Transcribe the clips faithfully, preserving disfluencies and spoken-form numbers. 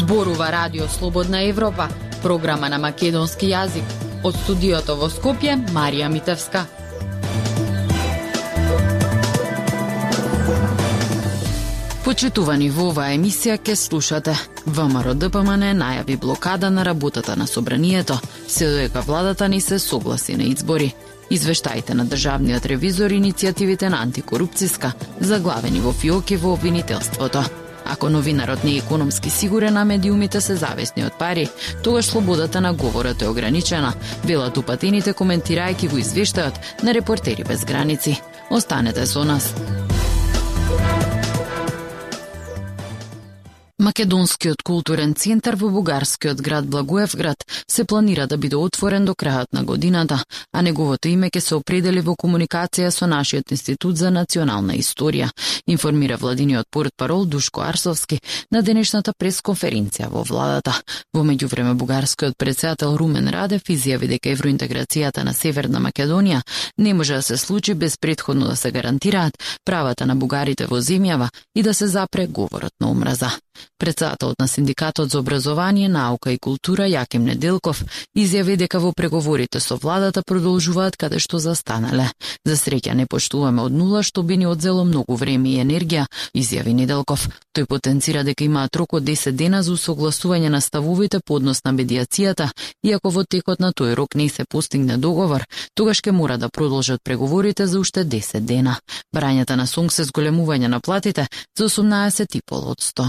Зборува Радио Слободна Европа, програма на македонски јазик. Од студиото во Скопје, Марија Митевска. Почитувани, во оваа емисија ке слушате. ВМРО Д П М Н најави блокада на работата на собранието, се додека владата не се согласи на избори. Извештаите на државниот ревизор иницијативите на антикорупцијска, заглавени во фиоки во обвинителството. Ако новинарот не е економски сигурен, а медиумите се зависни од пари, тогаш слободата на говорот е ограничена, велат упатените коментирајќи во извештајот на Репортери без граници. Останете со нас. Македонскиот културен центар во бугарскиот град Благоевград се планира да биде отворен до крајот на годината, а неговото име ќе се определи во комуникација со нашиот Институт за национална историја, информира владиниот портпарол Душко Арсовски на денешната пресконференција во владата. Во меѓувреме бугарскиот претседател Румен Радев изјави дека евроинтеграцијата на Северна Македонија не може да се случи без претходно да се гарантираат правата на бугарите во земјава и да се запре говорот на омраза. Претседателот на Синдикатот за образование, наука и култура Јаким Неделков изјави дека во преговорите со владата продолжуваат каде што застанале. За среќа не поштуваме од нула, што би ни одзело многу време и енергија, изјави Неделков. Тој потенцира дека имаат рок од десет дена за усогласување на ставовите по однос на медијацијата, и ако во текот на тој рок не се постигне договор, тогаш ќе мора да продолжат преговорите за уште десет дена. Барањата на СОНГ се зголемување на платите за осумнаесет и пет одсто.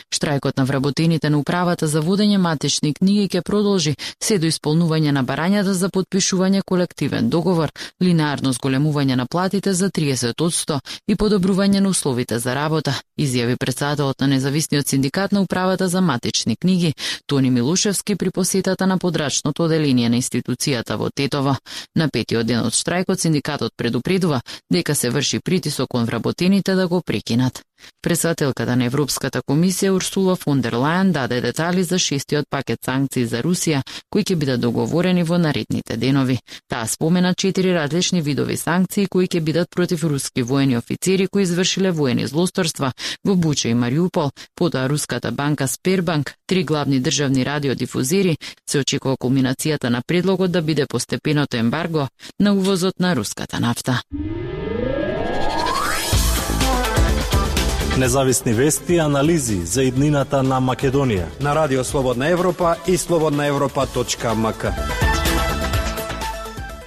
Штрајкот на вработените на управата за водење матични книги ќе продолжи се до исполнување на барањата за потпишување колективен договор, линеарно зголемување на платите за триесет одсто и подобрување на условите за работа, изјави претседателот на независниот синдикат на управата за матични книги Тони Милушевски при посетата на подрачното оделение на институцијата во Тетово. На петиот ден од штрајкот синдикатот предупредува дека се врши притисок кон вработените да го прекинат. Претседателката на Европската комисија Урсула фон дер Лајен даде детали за шестиот пакет санкции за Русија, кои ќе бидат договорени во наредните денови. Таа спомена четири различни видови санкции кои ќе бидат против руски воени офицери кои извршиле воени злосторства во Буча и Мариупол, потоа руската банка Сбербанк, три главни државни радиодифузери. Се очекува кулминацијата на предлогот да биде постепеното ембарго на увозот на руската нафта. Независни вести и анализи за иднината на Македонија на Радио Слободна Европа и слободна европа точка ем ка.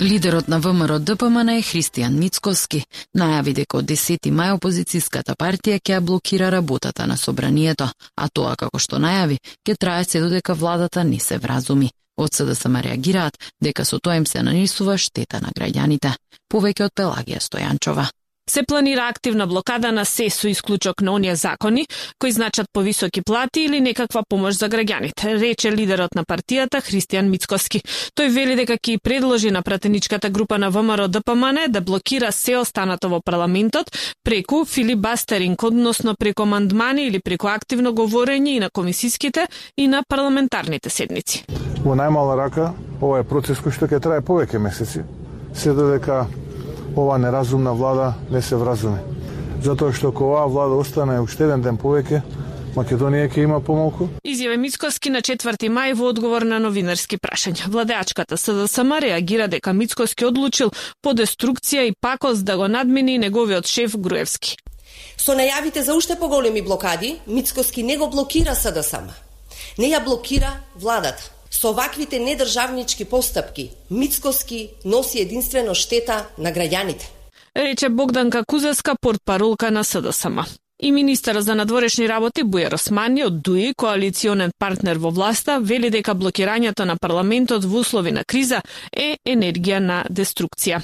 Лидерот на ВМРО Д П М Н Христијан Мицкоски најави дека од десети мај опозицијската партија ќе блокира работата на собранието, а тоа, како што најави, ќе трае се додека владата не се вразуми. Од С Д С М реагираат дека со тоа им се нанесува штета на граѓаните. Повеќе од Пелагија Стојанчова. Се планира активна блокада на се со исклучок на оние закони кои значат повисоки плати или некаква помош за граѓаните, рече лидерот на партијата Христијан Мицкоски. Тој вели дека ќе предложи на пратеничката група на ВМРО Д П М Н да блокира се останато во парламентот преку филибастеринг, односно преку амандмани или преку активно говорење и на комисиските и на парламентарните седници. Во најмала рака, ова е процес кој што ќе трае повеќе месеци, се додека ова неразумна влада не се вразуми. Затоа што ако оваа влада остане уште еден ден повеќе, Македонија ќе има помалку. Изјави Мицкоски на четврти мај во одговор на новинарски прашања. Владеачката С Д С М реагира дека Мицкоски одлучил по деструкција и пакост да го надмини неговиот шеф Груевски. Со најавите за уште поголеми блокади, Мицкоски не го блокира С Д С М. Не ја блокира владата. Со ваквите недржавнички постапки, Мицкоски носи единствено штета на граѓаните. Рече Богданка Кузеска, портпаролка на С Д С М. И министерот за надворешни работи Бујар Османи од ДУИ, коалиционен партнер во власта, вели дека блокирањето на парламентот во услови на криза е енергија на деструкција.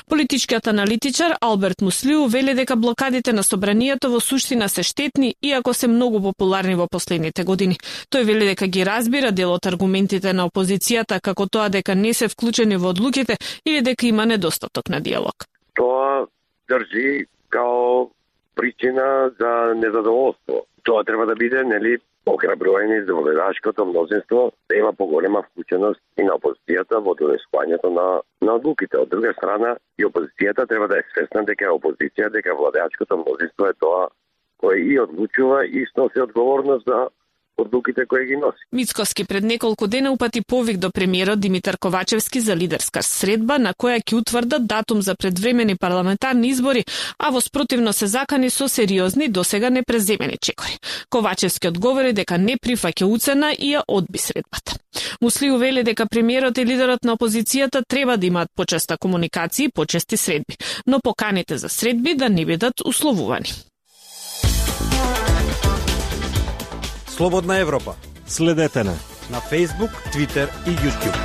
Политичкиот аналитичар Алберт Муслиу вели дека блокадите на собранието во суштина се штетни, иако се многу популарни во последните години. Тој вели дека ги разбира дел од аргументите на опозицијата, како тоа дека не се вклучени во одлуките или дека има недостаток на диалог. Тоа држи као причина за незадоволство. Тоа треба да биде, нели, охрабрување за вледачкото мнозинство да има поголема вклученост и на опозицијата во донесувањето на на одлуките. Од друга страна, и опозицијата треба да е свесна дека е опозиција, дека владеачкото мнозинство е тоа кој и одлучува и сноси одговорност за одлуките кои ги носи. Мицкоски пред неколку дена упати повик до премиерот Димитар Ковачевски за лидерска средба на која ќе утврдат датум за предвремени парламентарни избори, а во спротивно се закани со сериозни досега непреземени чекори. Ковачевски одговори дека не прифаќа уцена и ја одби средбата. Муслиу вели дека премиерот и лидерот на опозицијата треба да имаат почеста комуникација и почести средби, но поканите за средби да не бидат условувани. Слободна Европа. Следете на на Facebook, Twitter и YouTube.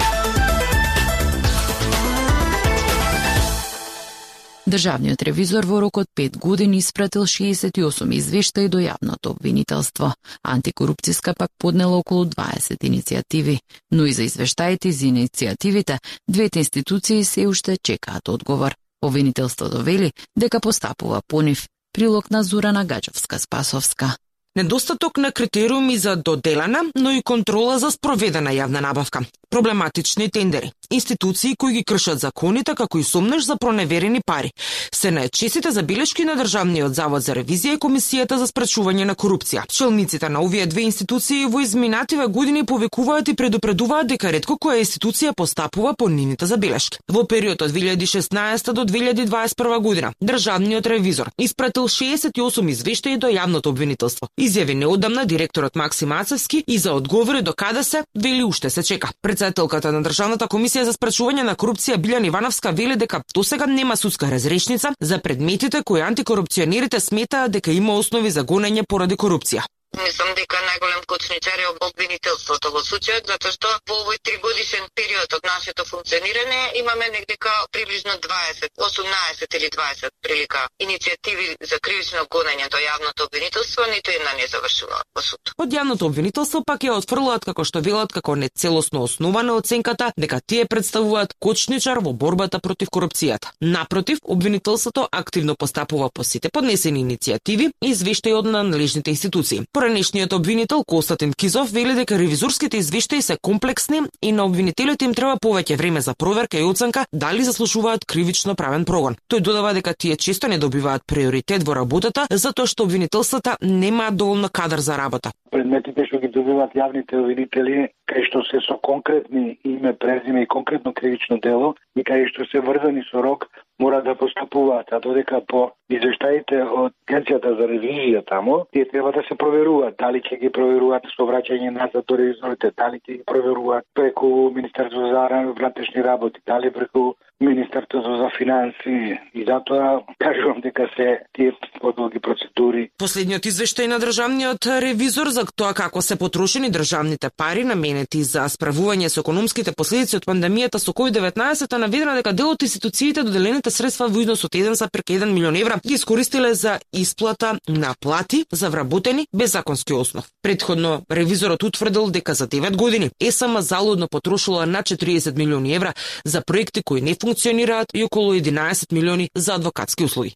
Државниот ревизор во рок од пет години испратил шеесет и осум извештаи до јавното обвинителство. Антикорупцијска пак поднела околу дваесет иницијативи, но и за извештаите за иницијативите двете институции се уште чекаат одговор. Обвинителството вели дека постапува по нив. Прилог на Зорана Гаджовска-Спасовска. Недостаток на критериуми за доделена, но и контрола за спроведена јавна набавка. Проблематични тендери. Институции кои ги кршат законите, како и сомнеш за проневерени пари. Се најчестите забелешки на Државниот завод за ревизија и Комисијата за спречување на корупција. Челниците на овие две институции во изминативе години повикуваат и предупредуваат дека ретко која институција постапува по нивните забелешки. Во период од две илјади и шеснаесета до две илјади дваесет и прва година, Државниот ревизор испратил шеесет и осум извештаи до јавното обвинителство. Изјави неодамна директорот Максим Ацевски и за одговори до каде се, вели уште се чека. Председателката на Државната комисија за спречување на корупција Билјана Ивановска вели дека досега нема судска разрешница за предметите кои антикорупционерите сметаат дека има основи за гонење поради корупција. Мислам дека најголем кочничар е обвинителството во случајот, затоа што во овој тригодишен период од нашето функционирање имаме негдека приближно дваесет, осумнаесет или дваесет прилика иницијативи за кривично гонење до јавното обвинителство, ниту една не завршува во суд. Од јавното обвинителство пак ја отфрлаат како што велат како нецелосно основана оценката дека тие представуваат кочничар во борбата против корупцијата. Напротив, обвинителството активно постапува по сите поднесени иницијативи и извештаи од надлежните институции. Поранешниот обвинител Константин Кизов вели дека ревизорските извештаи се комплексни и на обвинителите им треба повеќе време за проверка и оценка дали заслужуваат кривично правен прогон. Тој додава дека тие често не добиваат приоритет во работата затоа што обвинителствата немаат доволно кадар за работа. Предметите што ги добиваат јавните обвинители, кај што се со конкретни име, презиме и конкретно кривично дело и кај што се врзани со рок, мора да постапуваат, а додека по извештаите од Агенцијата за ревизија тамо, тие треба да се проверуваат, дали ќе ги проверуваат со враќање назад до ревизорите, дали ќе ги проверуваат преку Министерството за внатрешни работи, дали преку Министерството за финанси, и затоа кажувам дека се тие подолги процедури. Последниот извештај на Државниот ревизор за тоа како се потрошени државните пари наменети за справување со економските последици од пандемијата со ковид деветнаесет наведено дека дел од институциите доделените средства во износ од еден цела еден милион евра ги искористиле за исплата на плати за вработени без законски основ. Претходно ревизорот утврдил дека за девет години ЕСМ залудно потрошила на четириесет милиони евра за проекти кои не функционираат и околу единаесет милиони за адвокатски услуги.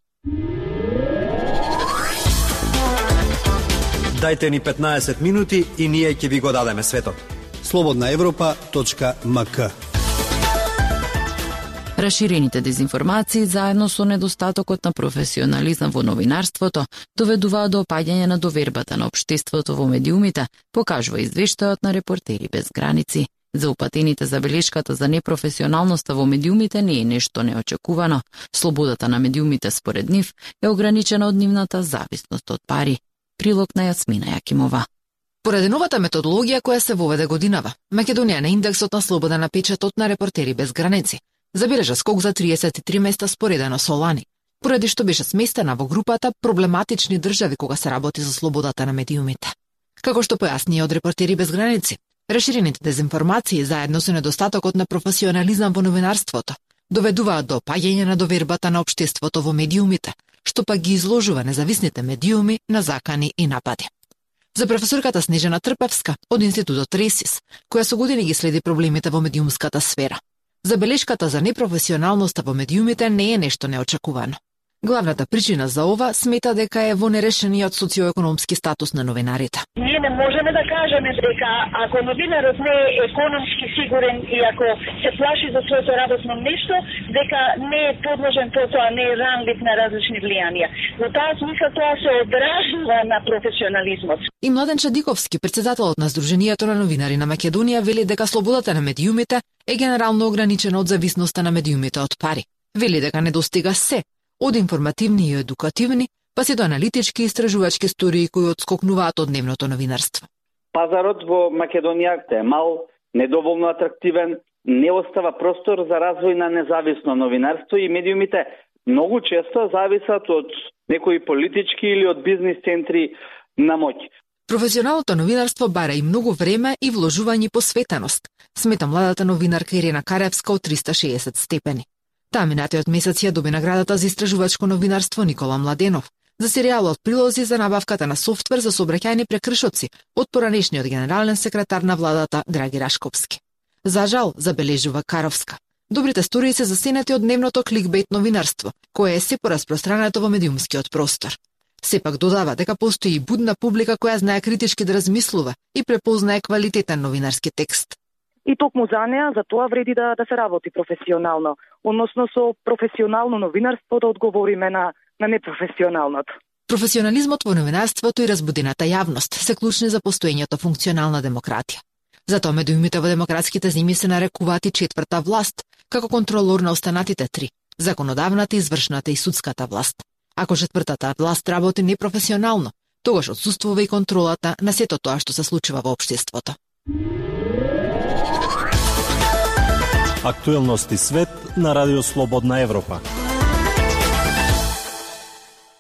Дајте ни петнаесет минути и ние ќе ви го дадеме светот. слободна европа точка ем ка. Раширените дезинформации заедно со недостатокот на професионализам во новинарството доведуваат до опаѓање на довербата на општеството во медиумите, покажува извештајот на Репортери без граници. За упатените забелешката за непрофесионалноста во медиумите не е нешто неочекувано. Слободата на медиумите според нив е ограничена од нивната зависност од пари. Прилог на Јасмина Јакимова. Поради новата методологија која се воведе годинава, Македонија на индексот на слобода на печатот на Репортери без граници забележа скок за триесет и три места споредено со лани, поради што беше сместена во групата проблематични држави кога се работи за слободата на медиумите. Како што појасни од Репортери без граници, раширените дезинформации заедно со недостатокот на професионализам во новинарството доведуваат до опаѓање на довербата на општеството во медиумите, што пак ги изложува независните медиуми на закани и напади. За професорката Снежана Трпевска од Институтот Ресис, која со години ги следи проблемите во медиумската сфера, забелешката за непрофесионалноста во медиумите не е нешто неочекувано. Главната причина за ова смета дека е во нерешениот социоекономски статус на новинарите. Ние не можеме да кажеме дека ако новинарот не е економски сигурен и ако се плаши за своето работно место, дека не е подложен потоа, не е ранлив на различни влијанија. Во таа смисла тоа се одражува на професионализмот. И Младен Чадиковски, председателот на Сдруженијето на новинари на Македонија, вели дека слободата на медиумите е генерално ограничена од зависноста на медиумите од пари. Вели дека не достига се, од информативни и едукативни, па се до аналитички и истражувачки студии кои отскокнуваат од дневното новинарство. Пазарот во Македонија е мал, недоволно атрактивен, не остава простор за развој на независно новинарство и медиумите многу често зависат од некои политички или од бизнис центри на моќ. Професионалното новинарство бара и многу време и вложување и посветеност, смета младата новинарка Ирена Каревска од триста и шеесет степени. Таа минатиот месец ја доби наградата за истражувачко новинарство Никола Младенов за серијалот прилози за набавката на софтвер за сообраќајни прекршоци од поранешниот генерален секретар на владата Драги Рашковски. За жал, забележува Каровска, добрите стории се засенати од дневното кликбейт новинарство, кое е се пораспространето во медиумскиот простор. Сепак додава дека постои и будна публика која знае критички да размислува и препознае квалитетен новинарски текст. И токму за неа, за тоа вреди да, да се работи професионално, односно со професионално новинарство да одговориме на, на непрофесионалното. Професионализмот во новинарството и разбудената јавност се клучни за постоењето функционална демократија. Затоа медиумите во демократските земји се нарекуваат и четврта власт, како контролор на останатите три – законодавната, извршната и судската власт. Ако четвртата власт работи непрофесионално, тогаш отсуствува и контролата на сето тоа што се случува во општеството. Актуелности свет на Радио Слободна Европа.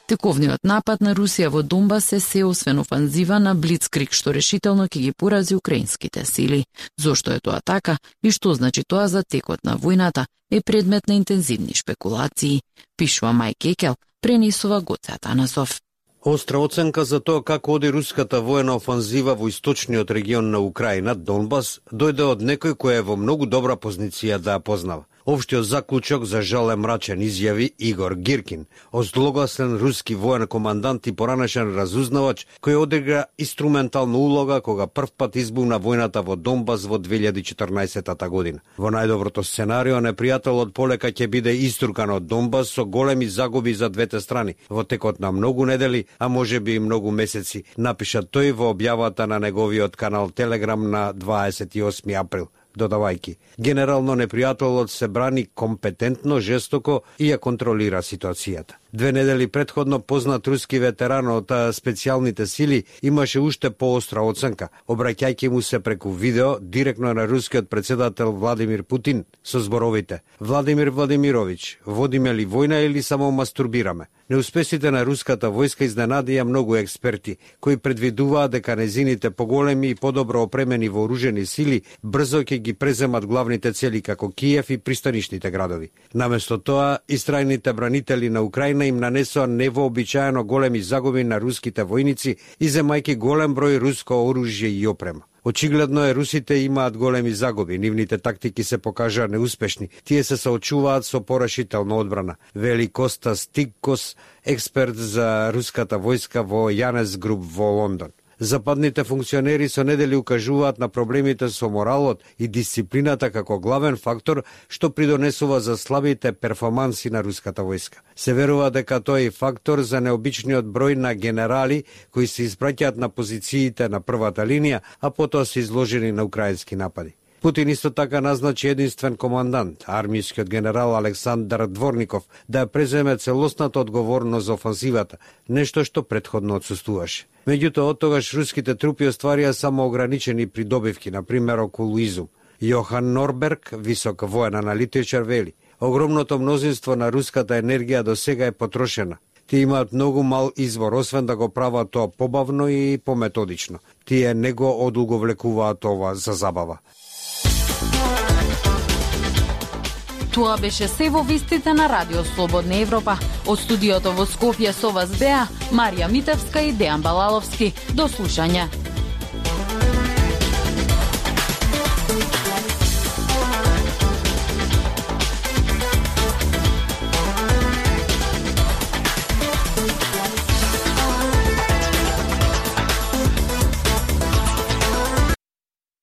Тековниот напад на Русија во Донбас е се освен офанзива на блицкриг што решително ќе ги порази украинските сили. Зошто е тоа така и што значи тоа за текот на војната е предмет на интензивни шпекулации, пишува Мај Кекел, пренесува Гоце Атанасов. Остра оценка за тоа како оди руската воена офанзива во источниот регион на Украина, Донбас, дојде од некој кој е во многу добра позиција да ја познава. Општиот заклучок за жал е мрачен, изјави Игор Гиркин, озлогласен руски воен командант и поранешен разузнавач кој одигра инструментална улога кога првпат избуна војната во Донбас во две илјади и четрнаесетта година. Во најдоброто сценарио, непријателот полека ќе биде иструкан од Донбас со големи загуби за двете страни во текот на многу недели, а може би и многу месеци, напиша тој во објавата на неговиот канал Телеграм на дваесет и осми април. Додавајки, генерално непријателот се брани компетентно, жестоко и ја контролира ситуацијата. Две недели предходно познат руски ветеран од специјалните сили имаше уште поостра оценка, обраќајќи му се преку видео директно на рускиот председател Владимир Путин со зборовите: Владимир Владимирович, водиме ли војна или само мастурбираме? Неуспесите на руската војска изненадија многу експерти, кои предвидуваат дека незините поголеми и подобро опремени вооружени сили брзо ќе ги преземат главните цели како Киев и пристанишните градови. Наместо тоа, истрајните бранители на Украина им нанесоа невообичаено големи загуби на руските војници, иземајќи голем број руско оружје и опрема. Очигледно е русите имаат големи загуби, нивните тактики се покажаа неуспешни, тие се соочуваат со порешителна одбрана, вели Коста Стиккос, експерт за руската војска во Јанес Груп во Лондон. Западните функционери со недели укажуваат на проблемите со моралот и дисциплината како главен фактор што придонесува за слабите перформанси на руската војска. Се верува дека тој е фактор за необичниот број на генерали кои се испраќаат на позициите на првата линија, а потоа се изложени на украински напади. Путин исто така назначи единствен командант, армискиот генерал Александар Дворников, да ја преземе целосната одговорност за офанзивата, нешто што претходно отсуствуваше. Меѓутоа, оттогаш руските трупи остварија само ограничени придобивки, например околу Изум. Јохан Норберг, висок воен аналитичар, вели: огромното мнозинство на руската енергија до сега е потрошена. Тие имаат многу мал извор, освен да го прават тоа побавно и пометодично. Тие не го одолговлекуваат ова за забава. Тоа беше се во вестите на Радио Слободна Европа. Од студиото во Скопје со вас беа Марија Митевска и Дејан Балаловски. До слушање.